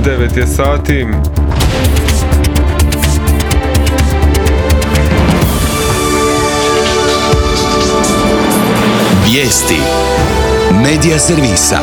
9 je sati. Vijesti Medija servisa.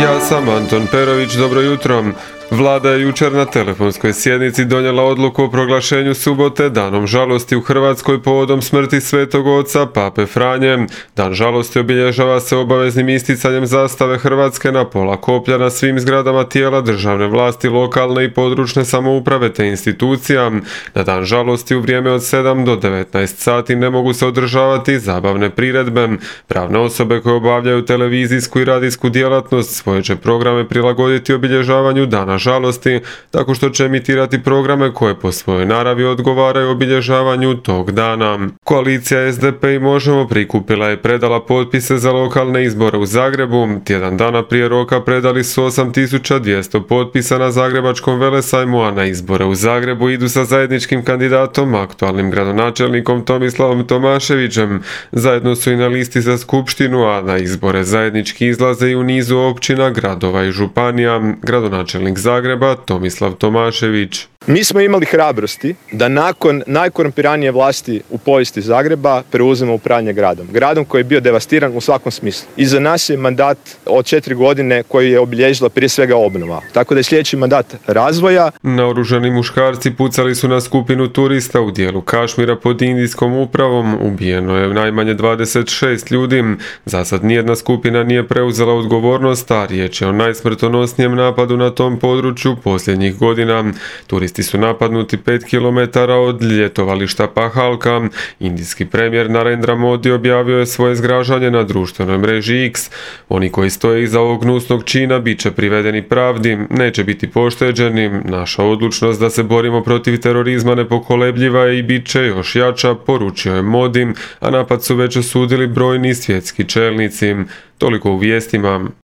Ja sam Anton Perović, dobro jutro. Vlada je jučer na telefonskoj sjednici donijela odluku o proglašenju subote danom žalosti u Hrvatskoj povodom smrti svetog oca Pape Franje. Dan žalosti obilježava se obaveznim isticanjem zastave Hrvatske na pola koplja na svim zgradama tijela državne vlasti, lokalne i područne samouprave te institucija. Na dan žalosti u vrijeme od 7 do 19 sati ne mogu se održavati zabavne priredbe. Pravne osobe koje obavljaju televizijsku i radijsku djelatnost svoje će programe prilagoditi obilježavanju dana žalosti, tako što će emitirati programe koje po svojoj naravi odgovaraju obilježavanju tog dana. Koalicija SDP i Možemo prikupila je predala potpise za lokalne izbore u Zagrebu. Tjedan dana prije roka predali su 8200 potpisa na Zagrebačkom velesajmu, a na izbore u Zagrebu idu sa zajedničkim kandidatom, aktualnim gradonačelnikom Tomislavom Tomaševićem. Zajedno su i na listi za skupštinu, a na izbore zajednički izlaze i u nizu općina, gradova i županija. Gradonačelnik Zagreba Tomislav Tomašević. Mi smo imali hrabrosti da nakon najkorumpiranije vlasti u povijesti Zagreba preuzmemo upravljanje gradom. Gradom koji je bio devastiran u svakom smislu. Iza nas je mandat od 4 godine koji je obilježila prije svega obnova. Tako da je sljedeći mandat razvoja. Naoružani muškarci pucali su na skupinu turista u dijelu Kašmira pod indijskom upravom. Ubijeno je najmanje 26 ljudi. Za sad nijedna skupina nije preuzela odgovornost, a riječ je o najsmrtonosnijem napadu na tom području posljednjih godina. Turisti su napadnuti 5 km od ljetovališta Pahalka. Indijski premijer Narendra Modi objavio je svoje zgražanje na društvenoj mreži X. Oni koji stoje iza ovog gnusnog čina bit će privedeni pravdi, neće biti pošteđeni. Naša odlučnost da se borimo protiv terorizma nepokolebljiva je i bit će još jača, poručio je Modi, a napad su već osudili brojni svjetski čelnici. Toliko u vijestima.